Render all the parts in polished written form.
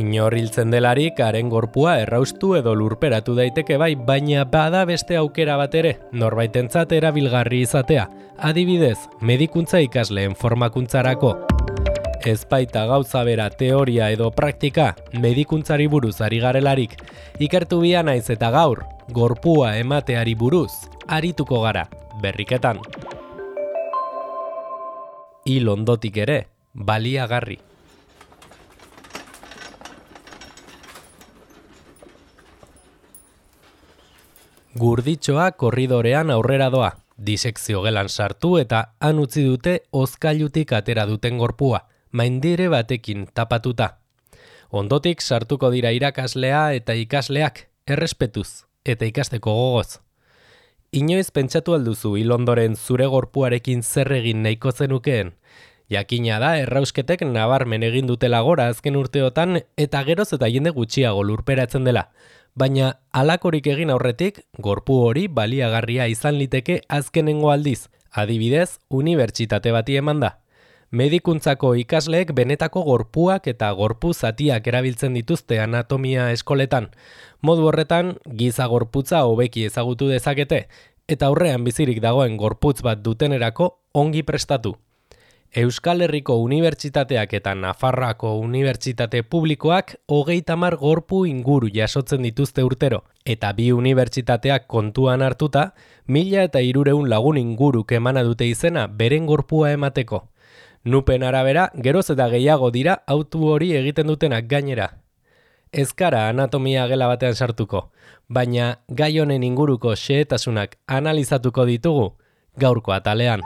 Inor hiltzen delarik haren gorpua erraustu edo lurperatu daiteke bai, baina bada beste aukera bat ere, norbaitentzat erabilgarri izatea. Adibidez, medikuntza ikasleen formakuntzarako. Ez baita gauza bera teoria edo praktika, medikuntzari buruz ari garelarik. Ikertu bia naiz eta gaur, gorpua emateari buruz, arituko gara, berriketan. Hil ondotik ere, baliagarri. Gurditxoa korridorean aurrera doa, disekzio gelan sartu eta han utzi dute hozkailutik atera duten gorpua, maindire batekin tapatuta. Ondotik sartuko dira irakaslea eta ikasleak, errespetuz eta ikasteko gogoz. Inoiz pentsatu alduzu hil ondoren zure gorpuarekin zer egin nahiko zenukeen? Jakina da errausketek nabarmen egin dutela gora azken urteotan eta geroz eta jende gutxiago lurperatzen dela. Baina halakorik egin aurretik, gorpu hori baliagarria izan liteke azkenengo aldiz, adibidez, unibertsitate bati eman da. Medikuntzako ikasleek benetako gorpuak eta gorpu zatiak erabiltzen dituzte anatomia eskoletan. Modu horretan, giza gorputza hobeki ezagutu dezakete, eta aurrean bizirik dagoen gorputz bat dutenerako ongi prestatu. Euskal Herriko unibertsitateak eta Nafarroako unibertsitate publikoak 30 gorpu inguru jasotzen dituzte urtero, eta bi unibertsitateak kontuan hartuta, 1300 lagun inguruk emana dute izena beren gorpua emateko. Nupen arabera, geroz eta gehiago dira autu hori egiten dutenak gainera. Ez gara anatomia gela batean sartuko, baina gai honen inguruko xehetasunak analizatuko ditugu gaurko atalean.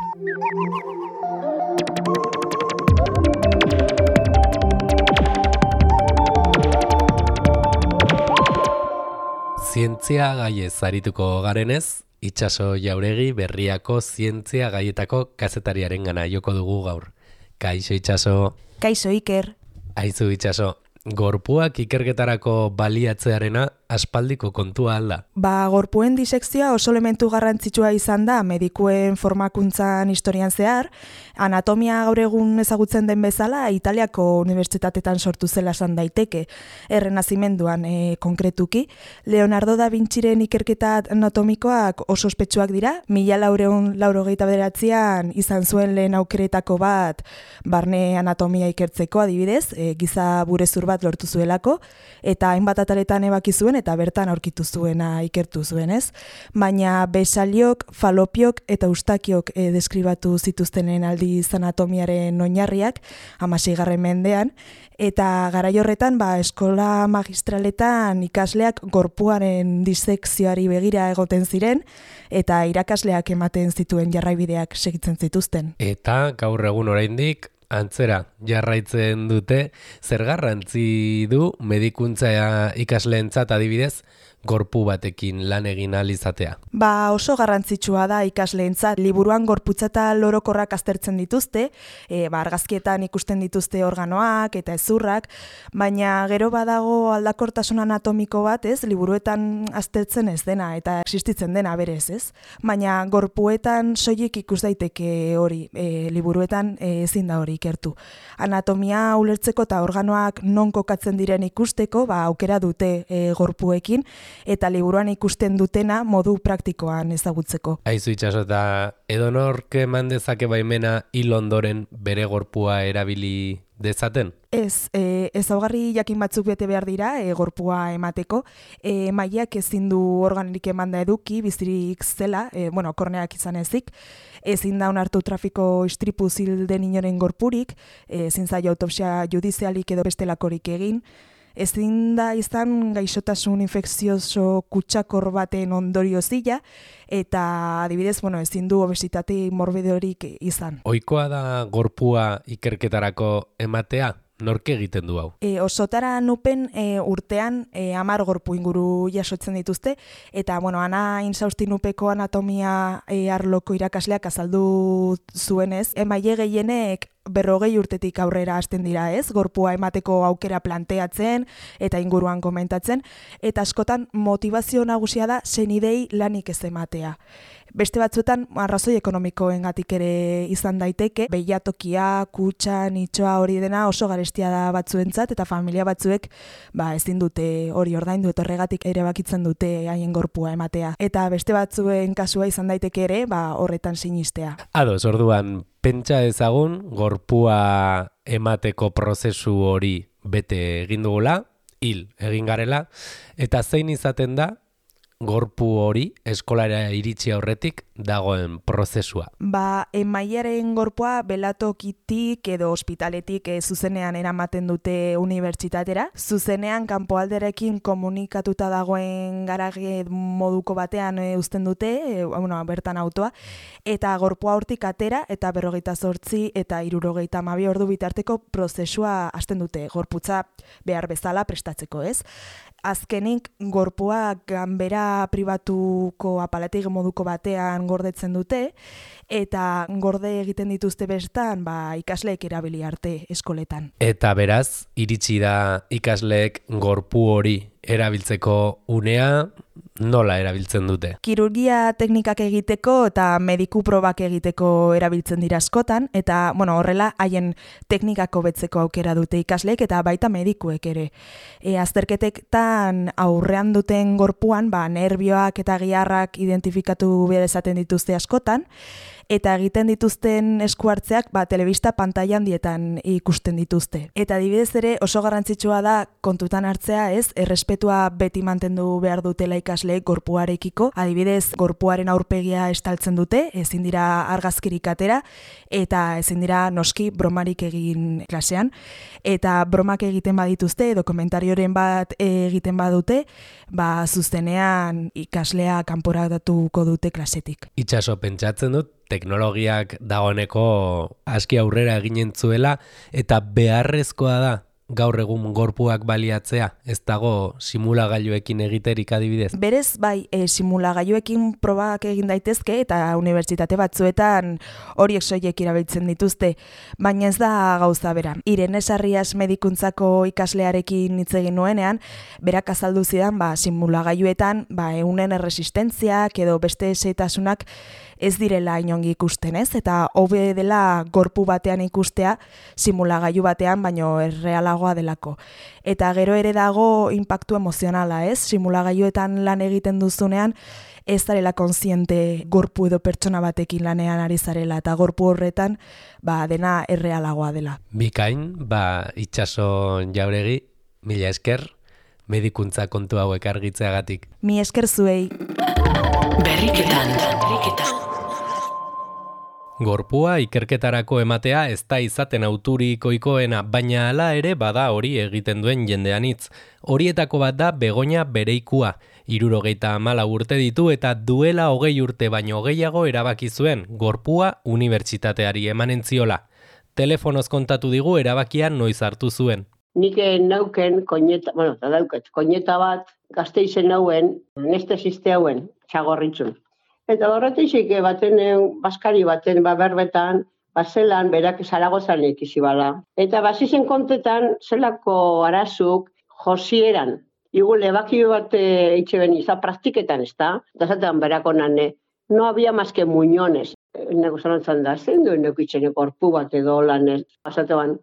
Zientzia gaiez arituko garenez, Itxaso Jauregi Berriako zientzia gaietako kazetariaren gana joko dugu gaur. Kaixo Itxaso. Kaixo Iker. Aizu Itxaso, gorpuak ikerketarako baliatzearena aspaldiko kontua alda. Gorpuen disekzioa oso elementu garrantzitsua izan da medikuen formakuntzan historian zehar. Anatomia gaur egun ezagutzen den bezala Italiako unibertsitatetan sortu zela esan daiteke, Errenazimenduan konkretuki. Leonardo da Vinciren ikerketa anatomikoak oso ospetsuak dira, 1489an izan zuen lehen aukeretako bat barne anatomia ikertzeko adibidez, giza burezur bat lortu zuelako, eta hainbat ataletan ebaki zuen eta bertan aurkitu zuena ikertu zuen, ez? Baina besaliok, falopiok eta eustakiok deskribatu zituztenen aldiz anatomiaren oinarriak 16. mendean, eta garai horretan eskola magistraletan ikasleak gorpuaren disekzioari begira egoten ziren eta irakasleak ematen zituen jarraibideak segitzen zituzten. Eta gaur egun oraindik antzera jarraitzen dute, zer garrantzi du medikuntza ikasleentzat adibidez gorpu batekin lan egin ahal izatea? Oso garrantzitsua da ikasleentzat. Liburuan gorputza eta lorokorrak aztertzen dituzte, argazkietan ikusten dituzte organoak eta hezurrak, baina gero badago aldakortasun anatomiko bat, ez? Liburuetan aztertzen ez dena eta existitzen dena berez, ez? Baina gorpuetan soilik ikus daiteke hori, liburuetan ezin da hori ikertu. Anatomia ulertzeko eta organoak non kokatzen diren ikusteko, aukera dute gorpuekin, eta liburuan ikusten dutena modu praktikoan ezagutzeko. Aizu Itxaso, eta edonork eman dezake baimena hil ondoren bere gorpua erabili dezaten? Ez, ezaugarri jakin batzuk bete behar dira gorpua emateko. Mailak ezin du organik emanda eduki, bizirik zela, korneak izan ezik. Ezin da onartu trafiko istripu hil den inoren gorpurik, ezin zaio autopsia judizialik edo bestelakorik egin. Ezin da izan gaixotasun infekzioso kutsakor baten ondorio zila, eta adibidez, ezin du obesitate morbidorik izan. Ohikoa da gorpua ikerketarako ematea? Nork egiten du hau? Osotara nupen urtean 10 gorpu inguru jasotzen dituzte, eta Ana Insaustinupeko anatomia arloko irakasleak azaldu zuenez, emaile gehienek 40 urtetik aurrera hasten dira, ez? Gorpua emateko aukera planteatzen eta inguruan komentatzen, eta askotan motivazio nagusia da senidei lanik ez ematea. Beste batzuetan arrazoi ekonomikoengatik ere izan daiteke, behiatokia, kutxa, nitxoa hori dena oso garestia da batzuentzat eta familia batzuek ezin dute hori ordaindu eta horregatik ere bakitzen dute haien gorpua ematea. Eta beste batzuen kasua izan daiteke ere, horretan sinistea. Ados, orduan, pentsa ezagun gorpua emateko prozesu hori bete egin dugula, hil egin garela, eta zein izaten da gorpu hori eskolara iritsi aurretik dagoen prozesua. Emaiaren gorpua belatokitik edo ospitaletik zuzenean eramaten dute unibertsitatera. Zuzenean kanpoalderekin komunikatuta dagoen garage moduko batean uzten dute, bertan autoa, eta gorpua hortik atera eta 48 eta 72 ordu bitarteko prozesua hasten dute, gorputza behar bezala prestatzeko, ez? Azkenik, gorpua ganbera pribatuko apalatik moduko batean gordetzen dute, eta gorde egiten dituzte bestan, ikasleek erabili arte eskoletan. Eta beraz, iritsi da ikasleek gorpu hori erabiltzeko unea, nola erabiltzen dute? Kirurgia teknikak egiteko eta mediku probak egiteko erabiltzen dira askotan, eta horrela haien teknikak hobetzeko aukera dute ikasleek eta baita medikuek ere. Azterketetan aurrean duten gorpuan, nerbioak eta giharrak identifikatu behar esaten dituzte askotan, eta egiten dituzten eskuartzeak telebista pantailan dietan ikusten dituzte. Eta adibidez ere oso garrantzitsua da kontutan hartzea, errespetua beti mantendu behar dutela ikasleek gorpuarekiko. Adibidez, gorpuaren aurpegia estaltzen dute, ezin dira argazkirik atera, eta ezin dira noski bromarik egin klasean. Eta bromak egiten badituzte, edo komentarioren bat egiten badute, zuzenean ikaslea kanporatuko dute klasetik. Itxaso, pentsatzen dut, teknologiak dagoeneko aski aurrera eginen zuela eta beharrezkoa da gaur egun gorpuak baliatzea, ez dago simulagailuekin egiterik adibidez? Berez, simulagailuekin probak egin daitezke eta unibertsitate batzuetan horiek soilik erabiltzen dituzte, baina ez da gauza bera. Irene Sarrias medikuntzako ikaslearekin hitz egin nuenean, berak azaldu zidan simulagailuetan ehunen erresistentziak edo beste xehetasunak ez direla inongi ikusten, ez? Eta hobe dela gorpu batean ikustea simulagailu batean, baino errealagoa delako. Eta gero ere dago inpaktu emozionala, ez? Simulagailuetan lan egiten duzunean, ez zarela kontziente gorpu edo pertsona batekin lanean ari zarela, eta gorpu horretan dena errealagoa dela. Bikain, Itxaso Jauregi, mila esker, medikuntza kontu hauek argitzeagatik. Mi esker zuei. Berriketan. Gorpua ikerketarako ematea ez da izaten auturik ohikoena, baina hala ere bada hori egiten duen jendean hitz. Horietako bat da Begoña Bereikua. 74 urte ditu eta duela 20 urte baino gehiago erabaki zuen gorpua unibertsitateari emanen ziola. Telefonoz kontatu digu erabakia noiz hartu zuen. Nik nauken koineta bat Gasteizen nauen, anestesiste hauen, txagorritzun. Eta horretik baten, baskari baten, berbetan, zelan, berak Zaragozan ikizi bala. Eta bazizen kontetan, zelako arazuk josieran. Igul, ebakio bat itxe beni, praktiketan, ez da? Eta zaten berako nane, no había más que muñones. Nego zanantzan da, zen duen neukitxene korpu bat edo lan ez. Bazatean,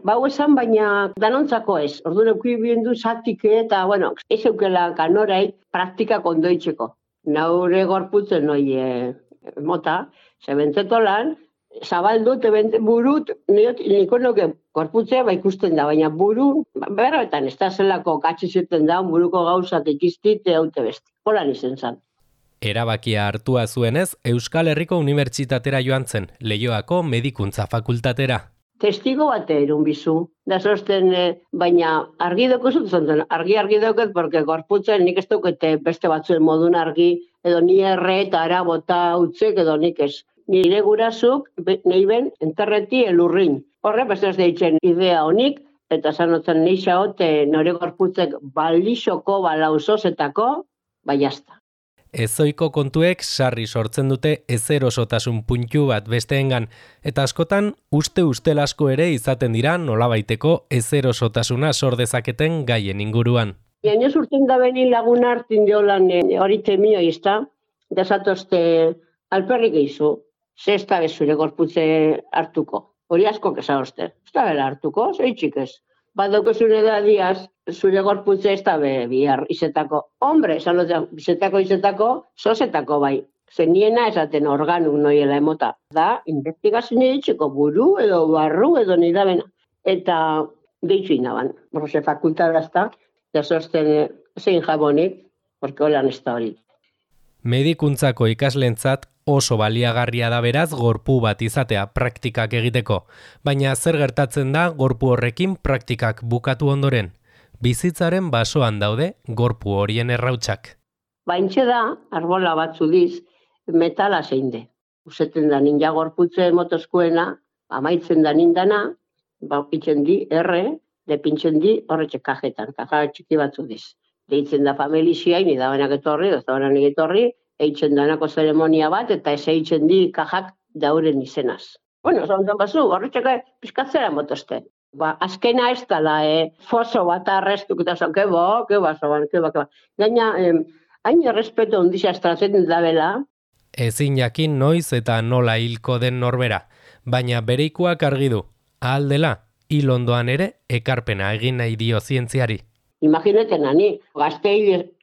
bau esan, baina danontzako ez. Ordu neukui biendu zatik eta, ez eukela kanorai praktikak ondoitzeko. Naure gorputzen noi mota, zebentzeto lan, zabaldut, burut, niko nuke gorputzea ikusten da, baina buru, berbetan ez da zelako katxizeten da, buruko gauzak ikiztite haute beste. Holan izen zan. Erabakia hartua zuenez, Euskal Herriko Unibertsitatera joan zen, Leioako Medikuntza Fakultatera. Testigo bat erun bizu. Da zosten, baina argi doko zutzen, argi doket, porque gorputzen nik ez dukete beste batzuen modun argi, edo ni erre eta arabota utzek edo nik ez. Nire gurazuk, nahi ben, enterreti elurrin. Horre, beste ez deitzen idea honik, eta sanotzen nisa hote nore gorputzek balixoko balauzozetako, bai jazta. Ezoiko kontuek sarri sortzen dute ezerosotasun puntu bat besteengan, eta askotan uste asko ere izaten dira nolabaiteko ezerosotasuna sor dezaketen gaien inguruan. Inoz urten da beni lagun hartin diolan hori temio izta, desatozte alperrik eizu, ze ez da bezure gorputze hartuko. Hori asko kesagozte, ez da bela hartuko, zeitxik ez. Badokezune da diaz, zure gorputze ez da bihar izetako. Hombre, esan dut, izetako, sozetako bai. Zeniena esaten organu noiela emota. Da, investigazio ditxeko buru edo barru edo nidabena. Eta deitzu inaban. Borroze fakultadazta, jasozten zein jabonik, porque holan ez da hori. Medikuntzako ikaslentzat oso baliagarria da beraz gorpu bat izatea praktikak egiteko, baina zer gertatzen da gorpu horrekin praktikak bukatu ondoren? Bizitzaren basoan daude gorpu horien errautsak. Baintxe da, arbola batzu diz, metala zein de. Uzeten da ninja gorputze motozkoena, amaitzen da nindana, pitzen di, depintzen di, horretxe kajetan, kaja txiki batzu diz. Deitzen da familiziai, nidabanak etorri, doztabanak etorri, eitzen danako zeremonia bat, eta ez eitzen di kajak dauren izenaz. Bueno, zontan bazu, horretxeka pizkatzera motozte. Azkena ez dala, foso bat arrestuk, eta zan, keba. Gaina, hain errespeto ondizia estratzen da bela. Ezin jakin noiz eta nola hilko den norbera, baina bereikoak argi du, ahal dela, hil ondoan ere ekarpena egin nahi dio zientziari. Imagineten ani, gazte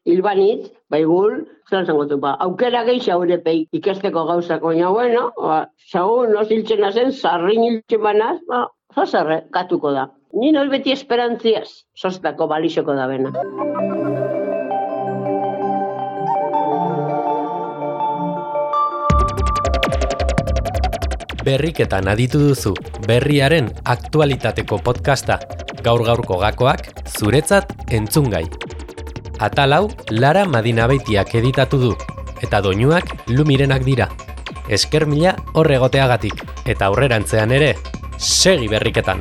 hilbanitz, baigul, zelan zangotu, aukera gehi xaurepei ikesteko gauzako, bueno, xaur, noz hiltzen azen, sarrin hiltzen banaz, zazarre, katuko da. Ni noiz beti esperantziaz, zoztako balixoko da bena. Berriketan aditu duzu, berriaren aktualitateko podcasta, gaur-gaurko gakoak, zuretzat entzungai. Atal hau Lara Madinabeitiak editatu du, eta doinuak Lumirenak dira. Esker mila horregoteagatik, eta aurrerantzean ere, segi berriketan!